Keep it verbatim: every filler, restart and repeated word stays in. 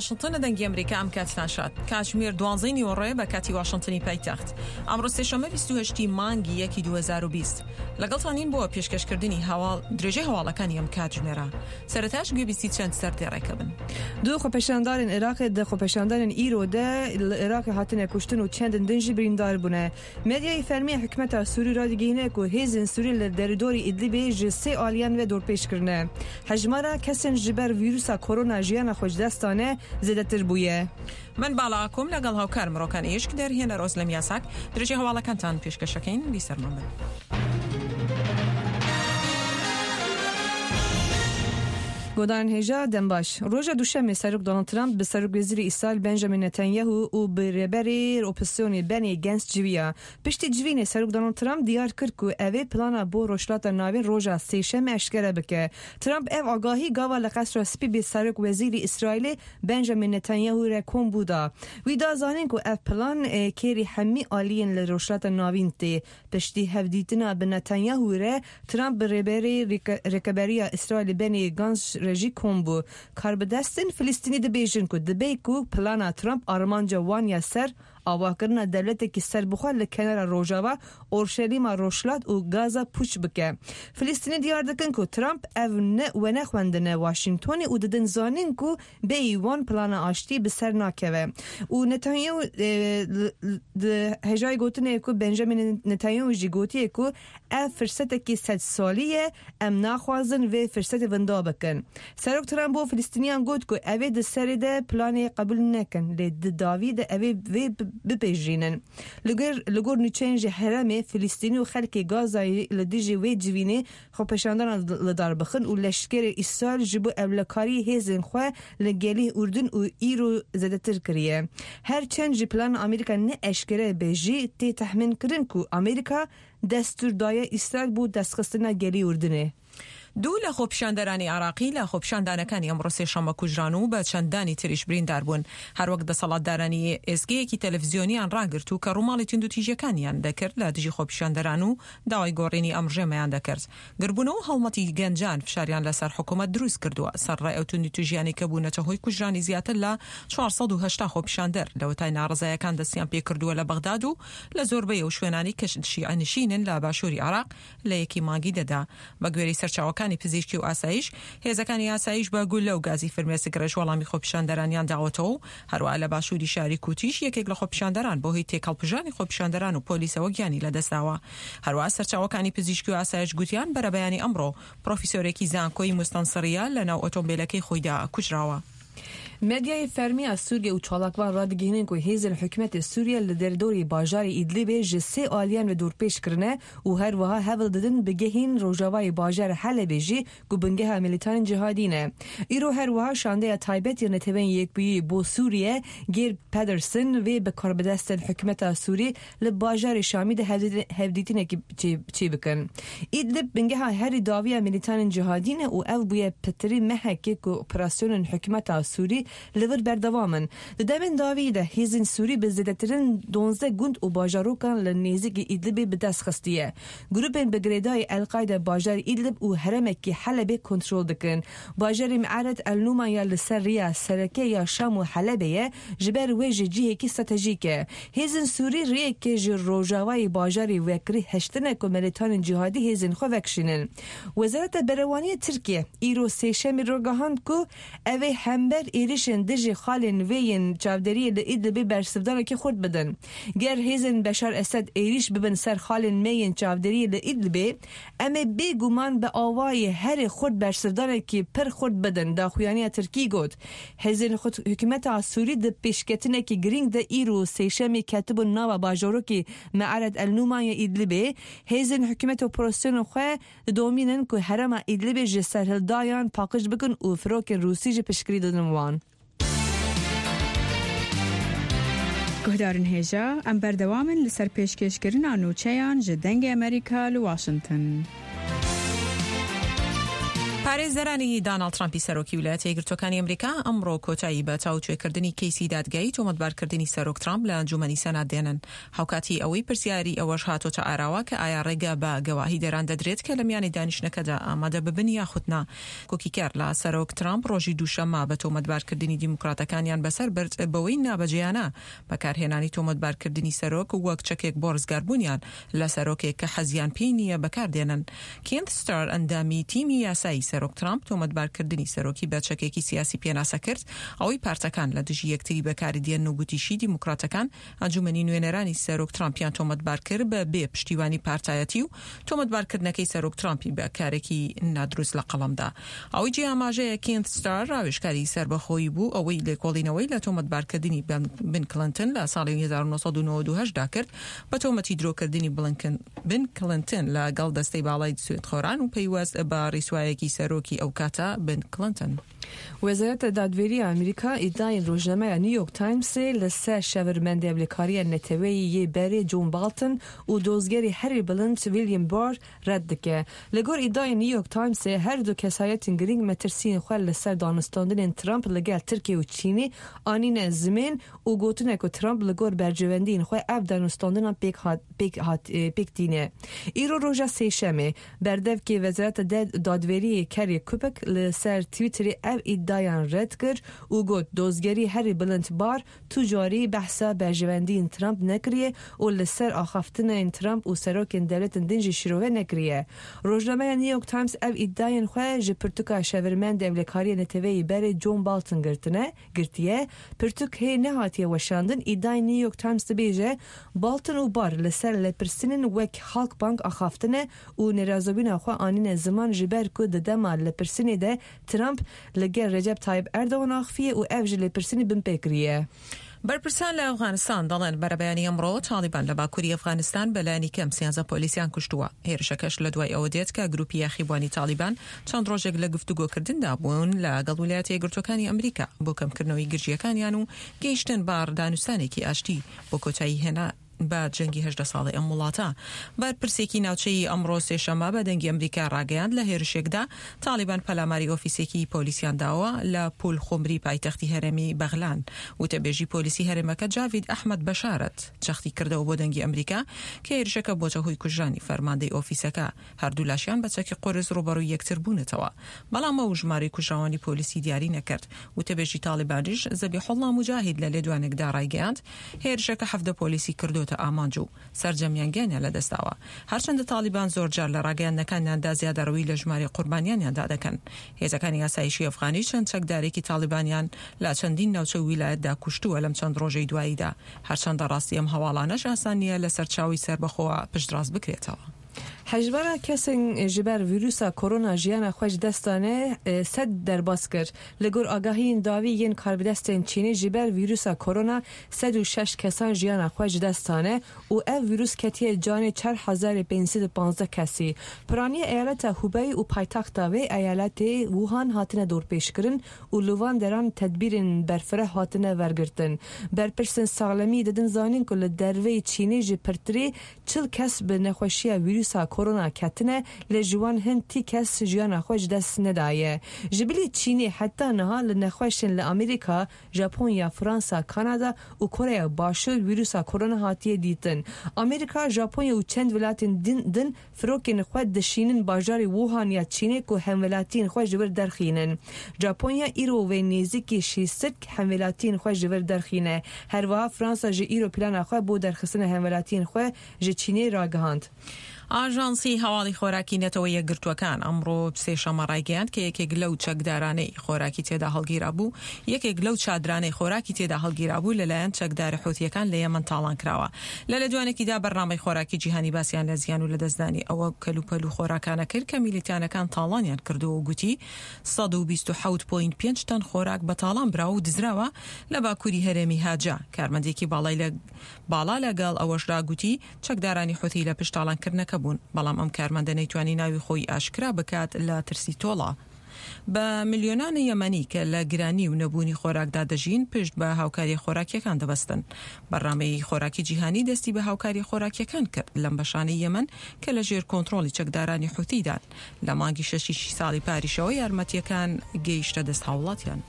واشنتن دەنگی ئەمریکا ئەم کاتتان شاد. کاتژمێر دوانزەی نیوەڕۆیە بە کاتی واشنتنی پایتەخت. ئەمڕۆ سێشەممە بیست و هەشت ی مانگی یەکی دوو هەزار و بیست. لەگەڵتانین بۆ پێشکەشکردنی هەواڵ درێژەی هەواڵەکانی ئەم کاتژمێرە. سەرەتاش گوێبیستی چەند سەردێڕێکە بن. دوو خۆپێشاندارên Iraqê di xwepêşandanên îro de li Iraqê hatine kuştin û çendin din jî birîndar bûne. Medyayê fermî hikûmeta Sûrî radigihîne ku hêzên Sûrî li derûdorê Idlibê ji sê aliyan ve dorpêç kirine. Hejmara kesên ji ber vîrusa korona jiyana xwe ji dest dane zêdetir bûye. من باڵا ئاکۆم لەگەڵ هاوکارم ڕۆکان ئیشک دەرهێنەر ئۆزلەم یاساک درێژەی هەواڵەکانتان پێشکەشەکەین بیسەرمان بن. گۆدان هێژا دەمباش. ڕۆژە دووشەممێ سەرۆک دۆناڵد ترامپ bi serokwezîrê Îsraîl Benjamin Netanyahu û bi rêberê opozisyonê Benny Gantz civiya. Piştî civînê serok Donald Trump diyar kir ku ev ê plana bo Rojhilata Navîn roja sêşemê eşkere bike. Trump ev agahî gava li Qesra Spî bi serokwezîrê Îsraîlê Benjamin Netanyahu re kom bû da. Wî da zanîn ku ev plan kêrî hemî aliyên li Rojhilata Navîn tê. Piştî hevdîtina bi Netanyahu re Trump bi rêberê rêkeberiya Îsraîlê Benny Gantz rejî kom bû. Karbidestên Filistînî dibêjin ku dibe ku plana Trump armanca wan ya ser avakirina dewletekî serbixwe li kenara Rojava, Orşelîma Rojhilat û Gaza pûç bike. Filistînî diyar dikin ku Trump ev ne wenexwendine Washingtonê û didin zanîn ku bêyî wan plana aştî bi ser nakeve. Û Netanyahu di hejayê gotinê ku Benjamin Netanyahu jî gotiye ku ev firsetekî sed salî ye, em naxwazin vê firsetê winda bikin. Serok Trump bo Filistîniyan got ku ev ê di serê de planê qebûl nekin, lê di dawî de ev ê vê bipêjînin. Li gor li gor nûçeyên ji herêmê Filistînî û xelkê Gazayê li dijî wê civînê xwepêşandanan li dar bixin û leşkerê Îsraîl ji bo ewlekarî hêzên xwe li gelê Urdun û îro zêdetir kiriye. Her çend ji plana Amerîka ne eşkere be jî tê tehmîn kirin ku Amerîka destûr daye Îsraîl bo destxistina gelê Urdunê. دوو لە خۆپیشاندەرانی عراقی لە خۆپیشاندانەکانی ئەمڕۆ سێشەممە کوژران و بە چەندانی تریش بریندار بوون. هەروەک دەسەڵاتدارانی ئێزگەیەکی تەلەڤیزیۆنیان ڕاگرت و کە ڕووماڵی توندوتیژیەکانیان دەکرد لە دژی خۆپیشاندەران و داوای گۆڕینی ئەم ڕژێمەیان دەکرد. گربوونەوە هەڵمەتی گەنجان فشاریان لەسەر حکوومەت دروست کردووە سەرڕای ئەو توندوتیژیانەی کە بوونەتە هۆی کوژرانی زیاتر لە چوار سەد و هەشتا خۆپیشاندەر لەوەتای ناڕەزایەکان دەستیان پێکردووە لە بەغداد و لە زۆربەی ئەو شوێنانی کە شیعە نشینن لە باشووری عراق لە یەکی مانگی دەدا. بە گوێرەی سەرچاوەکانی پزیشکی و ئاسایش هێزەکانی ئاسایش بە گولە و گازی فرمێسک ڕێژ وەڵامی خۆپیشاندەرانیان داوەتەوە و هەروەها لە باشووری شاری کوتیش یەکێک لە خۆپیشاندەران بۆ هۆی تێکەڵپژانی خۆپیشاندەران و پۆلیسەوە گیانی لەدەستداوە. هەروەها سەرچاوەکانی پزیشکی و ئاسایش گوتیان بەرەبەیانی ئەمڕۆ پرۆفیسۆرێکی زانکۆی مستەنسڕیە لەناو ئۆتۆمبیلەکەی خۆیدا کوژراوە. Medyayê fermî ya Sûriye û çalakvan radigihînin ku hêzên hikûmetê Sûriye li derdorê bajarê Idlibê ji sê aliyan ve dorpêç kirine û her wiha hewl didin bigehîn rojavayê bajarê Helebê jî ku bingeha milîtanên cihadî ne. Îro her wiha şandeya taybet ya Neteweyên Yekbûyî bo Sûriye Geir Pedersen vê bi karbidestên hikûmeta Sûrî li bajarê Şamî de hevdîtinekî çê bikin. Idlib bingeha herî dawiya milîtanên cihadî ne û ev bûye pitirî mehekê ku operasyonên hikûmeta Sûrî li vir berdewam in. Di demên dawî de hêzên Sûrî bi zêdetirîn duwazdeh gund û bajarokan li nêzîkî Idlibê bi dest xistiye. Grûpên bi girêdayî El-Qaîde bajarê Idlib û herêmekî Helebê kontrol dikin. Bajarê Miaret El-Numan ya li ser riya sereke ya Şam û Helebê ye ji ber wê ji cihekî stratejîk e. Hêzên Sûrî rêyekê ji rojavayê bajarê vekirî heştine ku milîtanên cihadî hêzên xwe vekişînin. Wezareta Berevaniyê Tirkiye îro sêşemê ragihand ku ev ê hember êrişên dijî xalên wê yên çavdêriyê li Idlibê bersivdanekî xurt bidin. Ger hêzên Beşar Esed êriş bibin ser xalên me yên çavdêriyê li Idlibê, em ê bêguman bi awayê herî xurt bersivdanekî pir xurt bidin, daxuyaniya Tirkî got. Hêzên hikûmeta Sûrî di pêşketinekî girîng de îro sêşemê ketibûn nava bajarokê Mearet El-Numan ya Idlibê. Hêzên hikûmet operasyonên xwe didomînin ku herêma Idlibê ji serhildayan paqij bikin û firokên Rûsî jî piştgirî didin wan. Guhdarên hêja, em berdewam in li ser pêşkêşkirina nûçeyan ji Dengê Amerîka li Washington. پارێزەرانی داناڵد ترامپی سەرۆکی ویلایەتە یەکگرتووەکانی ئەمریکا ئەمڕۆ کۆتایی بە تاوتوێکردنی کەیسی دادگایی تۆمەتبارکردنی سەرۆک ترامپ لە ئەنجومەنی سەنات دێنن. هاوکاتی ئەوەی پرسیاری ئەوەش هاتۆتە ئاراوە کە ئایا ڕێگە بە گەواهیدەران دەدرێت کە لە میانی دانیشتنەکەدا ئامادە ببن یاخود نا. کۆکیکەر لە سەرۆک ترامپ ڕۆژی دووشەممە بە تۆمەتبارکردنی دیموکراتەکانیان بەسەر برد بەوەی نابەجێیانە بەکارهێنانی تۆمەتبارکردنی سەرۆک وەک چەکێک بۆ ڕزگاربوونیان لە سەرۆکێک کە حەزیان پێی نییە بەکاردێنن. کێنت ستار ئەندامی تیمی یاسایی سەرۆک ترامپ تۆمەتبارکردنی سەرۆکی بە چەکێکی سیاسی پێناسە کرد، ئەوەی پارتەکان لە دژی یەکتری بەکاری دێن و گوتیشی دیموکراتەکان ئەنجومەنی نوێنەرانی سەرۆک ترامپیان تۆمەتبار کرد بە بێ پشتیوانی پارتایەتی و تۆمەتبارکردنەکەی سەرۆک ترامپی بە کارێکی نادروست لە قەڵەمدا. ئەوەی جێ ئاماژەیە کێنت ستار ڕاوێژکاری سەربەخۆیی بوو ئەوەی لێکۆڵینەوەی لە تۆمەتبارکردنی بن کلنتن لە ساڵی هەزار و نۆ سەد و نەوەد و هەشت دا کرد بە تۆمەتی درۆکردنی بن کلنتن لەگەڵ دەستەی باڵای سوێندخۆران و پەیوەست بە ڕیسوایەکی سەرۆکی ئەو کاتە بن کلنتن. وەزارەت دادوەری ئەمریکا ئیدعای ڕۆژنامەی نیویۆرک تایمز لەسەر شێورمەندی ئەولەکاریە نەتەوەیی یê berê John Bolton û dozgerê herî bilind William Barr red dike. Li gor îdiayên New York Timesê her du kesayetên girîng metirsiyên xwe li ser danûstandinên Trump li gel Tirkiye û Çînê anîne zimên û gotine ku Trump li gor berjewendiyên xwe ev danûstandinan pêk hat, pêk hat, pêk tîne. Îro roja sêşemê berdevkê Wezareta Dadweriyê Kerry Kupek li ser Twitterê ev îdiayan red kir û got dozgerî herî bilind Barr tu carî behsa berjewendiyên Trump nekiriye û li ser axaftinên Trump û serokên dewletên din jî şirove nekiriye. Rojnameya New York Times ev îdiayên xwe ji pirtûka şêwirmendê ewlekariya neteweyî berê John Bolton girtine, girtiye. Pirtûk hê nehatiye weşandin. Îdiayên New York Times dibêje Bolton û Barr li ser lêpirsînên wek Halkbank axaftine û nerazîbûna xwe anîne ziman ji ber ku di dema lêpirsînê de Trump li gel Recep Tayyip Erdogan axiviye û ev ji lêpirsînê binpê kiriye. بەرپرسان لە ئەفغانستان دەڵێن بەرەبەیانی ئەمڕۆ تاڵیبان لە باکووری ئەفغانستان بەلایەنی کەم سیانزە پۆلیسیان کوشتووە. هێرشەکەش لە دوای ئەوە دێت کە گروپی یاخیبوانی تاڵیبان چەند ڕۆژێک لە گفتوگۆکردندا بوون لەگەڵ ویلایەتە یەکگرتووەکانی ئەمریکا بۆ کەمکردنەوەی گرژیەکانیان و گەیشتن بە دانوستانێکی ئاشتی بۆ کۆتایی هێنا بە جەنگی هەژدە ساڵی ئەم وڵاتە. بەرپرسێکی ناوچەی ئەمڕۆ سێشەممە بە دەنگی ئەمریکا ڕاگەیاند لە هێرشێکدا تاڵیبان پەلاماری ئۆفیسێکی پۆلیسیان داوە لە پول خمری پایتەختی هەرێمی بەغلان. وتەبێژی پۆلیسی هەرێمەکە جاوید ئەحمەد بەشارەت جەختی کردەوە بۆ دەنگی ئەمریکا کە هێرشەکە بۆتە هۆی کوژرانی فەرماندەی ئۆفیسەکە. هەردوو لاشیان بە چەکی قورس ڕوبەڕووی یەکتر بوونەتەوە، بەڵام ئەو ژمارەی کوژراوانی پۆلیسی دیاری نەکرد. وتەبێژی تاڵیبانیش زەبیحوڵڵا موجاهید لە لێدوانێکدا ڕایگەیاند هێرشەکە حەڤدە پۆلیسی کردوتە ئامانج و سەرجەمیان گیانیان لەدەستداوە. هەرچەندە تاڵیبان زۆرجار لە ڕاگەیاندنەکانیاندا زیادەڕەوی لە ژمارەی قوربانیانیاندا دەکەن. هێزەکانی ئاسایشی ئەفغانی چەند چەکدارێکی تاڵیبانیان لە چەندین ناوچە و ویلایەتدا کوشتووە لەم چەند ڕۆژەی دواییدا. هەرچەندە ڕاستی ئەم هەواڵانەش ئاسان نییە لە سەرچاوی سەربەخۆوە پشتڕاست بکرێتەوە. Hejmara kesên ji ber vîrusa korona jiyana xwe ji dest dane sed derbas kir. Li gor agahiyên dawî yên karbidestên Çînê ji ber vîrusa korona sed û şeş kesan jiyana xwe ji dest dane û ev vîrus ketiye canê çar hezar pênc sed û panzdeh kesî. Piraniya eyaleta Hubei û paytexta wê eyaletê Wuhan hatine dorpêşkirin û li van deran tedbîrên berfireh hatine wergirtin. Berpirsên saxlemî didin zanîn ku li derveyê Çînê ji pirtirê çil kes bi nexweşiya vîrusa korona ketine lê ji wan hin tî kes jiyana xwe ji dest nedaye. Ji bilî Çînê heta niha li nexweşên li Amerîka, Japonya, Fransa, Kanada û Koreya Başûr vîrusa korona hatiye dîtin. Amerîka, Japonya û çend welatên din, din firokên xwe dişînin bajarê Wuhan ya Çînê ku hemwelatiyên xwe ji wir derxînin. Japonya îro wê nêzîkî şêst hemwelatiyên xwe ji wir derxîne. Her wiha Fransa ji îro plana xwe bo derxistina hemwelatiyên xwe ji Çînê ragihand. ئاژانسی هەواڵی خۆراکی نەتەوە یەکگرتووەکان ئەمڕۆ سێشەممە ڕایگەیاند کە یەکێک لەو چەکدارانەی خۆراکی تێدا هەڵگیرابوو یەکێک لەو چادرانەی خۆراکی تێدا هەڵگیرابوو لەلایەن چەکدارە حوتیەکان لە یەمەن تاڵان کراوە. لە لێدوانێکیدا بەرنامەی خۆراکی جیهانی باسیان لە زیان و لەدەستدانی ئەوە کەلوپەل و خۆراکانە کرد کە میلیتانەکان تاڵانیان کردووە و گوتی سەد و بیست و حەوت پۆینت پێنج تەن خۆراک بە تاڵان براوە و دزراوە لە باکووری هەرێمی هاجا. کارمەندێکی باڵا لەگەڵ ئەوەشدا گوتی چەکدارانی حوتی لە پشت تاڵانکردنەکە بوون، بەڵام ئەم کارمەندە نەیتوانی ناوی خۆی ئاشکرا بکات لە ترسی تۆڵە. بە ملیۆنان یەمەنی کە لە گرانی و نەبوونی خۆراکدا دەژین پشت بە هاوکاری خۆراکیەکان دەبەستن. بەرنامەی خۆراکی جیهانی دەستی بە هاوکاری خۆراکیەکان کرد لەم بەشانەی یەمەن کە لە ژێر کۆنترۆڵی چەکدارانی حوثیدان. لە مانگی شەشی ساڵی پاریشەوە یارمەتیەکان گەیشتە دەست هاوڵاتیان.